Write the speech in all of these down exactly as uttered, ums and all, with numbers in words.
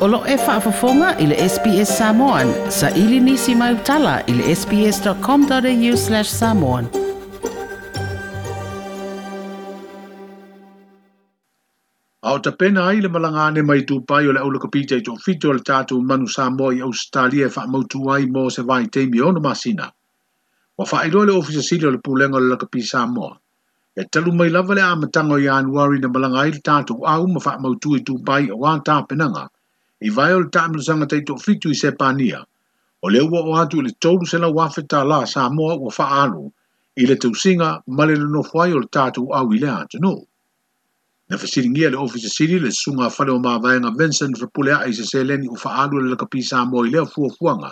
O lo e faafofoga i le S B S Samoan, sa ili nisi mai utala i le sbs.com.au slash samoan. A o tapena ai le malangane mai Dubai o le aula kapita i tō fito o le tātou manu Samoa i Australia e whaamautu ai mō se vai teimi ono masina. Wa whaailoa le ofisa sili o le pulenga o le lakapi Samoa. E talu mai lava le amatanga o Ianuari na malanga ai le tātou au ma whaamautu i Dubai o wā tāpenanga. I vai o le taamilosaga tai toafitu i Sepania. O le ua o atu i le tolu selau afe tālā Samoa ua faaalu i le tausiga ma le nonofo ai o le tātou au i le atunuu. Na fesiligia le ofisa sili le susuga fale o mavaega Vincent Fepuleai i se seleni ua faaalu e le lakapi Samoa i lea fuafuaga.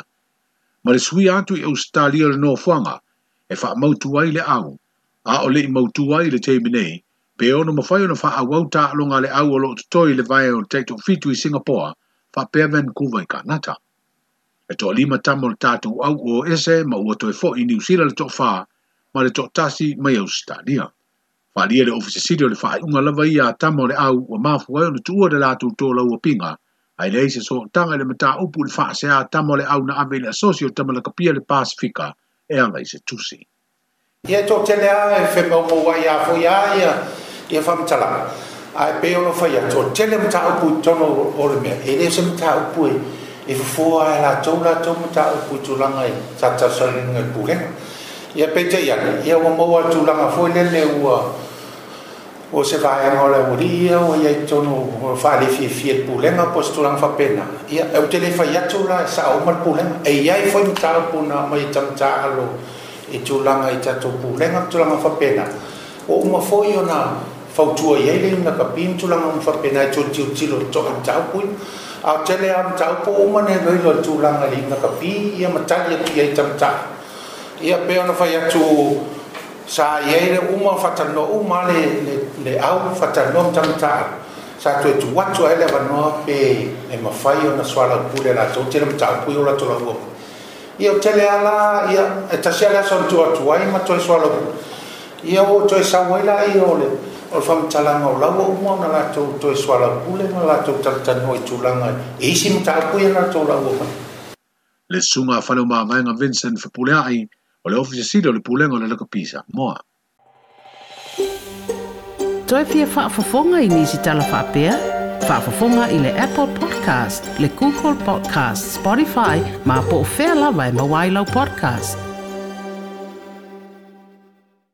Ma le suia atu i Australia le nofoaga e faamautu ai le au, a o le i mautu ai le taimi nei, pe ono mafai ona faaauau taaloga le au o loo totoe i le vae o le taitoafitu i Singapore, faapea Vancouver i Kanata. E toalima tama o le tātou au o ese ma ua toe fo'i i New Zealand le toafā ma le toatasi mai Australia. Faalia le ofisa sili o le faaiuga lava ia a tama o le au ua mafua ai ona tuua le latou tōlau pinga, ai leai se sootaga i le mataupu i le faasea a tama o le au na ave i le asosi o tama lakapia le Pasifika e ala i se tusi. Ia toatele a e whemaumau ai a foi a ia ia whamatalaga. Ai pe ono whai atu, tele mataupu i tono o le mea. E le se mataupu e e fufoa ai latou latou mataupu i tulaga i tatalosagaina i pulega. Ia peitai ane, ia ua maua tulaga foi lele ua o se vaega o le aualii ia ua iai totonu o faalefiafia i le pulega po o se tulaga faapena. Ia e ou te le fai atu la e sao uma le pulega. E iai foi mataupu na aumai e tamatā i tulaga i tatou pulega ma tulaga faapena. Ua uma foi ona fautua i ai le lakapi ma tulaga uma faapena e toe tilotilo totoa i mataupu ia. A o tele lava mataupu ua uma ona iloilo i le tulaga i le lakapi ia ma tali atu i ai tamatā. Ia pe ona fai atu sa iai le uma faatanoa uma le le le au faatanoa ma tamatā. Sa toe tuu atu ai le avanoa pe e mafai ona soalaupule latou tele mataupu ia o latou lauga. Ia o tele ala ia e tasi lava le aso na tuu atu ai ma toe soalaupule. Ia ua toe sau ai la ia o le o le faamatalaga o laua uma ona latou toe soalaupule ma latou talatalanoa i tulaga e isi mataupu ia na latou lauga mai. Le susuga a fale o mavaega Vincent Fepuleai o le ofisa sili o le pulega o le lakapi Samoa. Toe fia faafofoga i nisi tala faapea? Faafofoga i le Apple Podcast, le Google Podcast, Spotify, ma po o fea lava e maua ai lau podcast.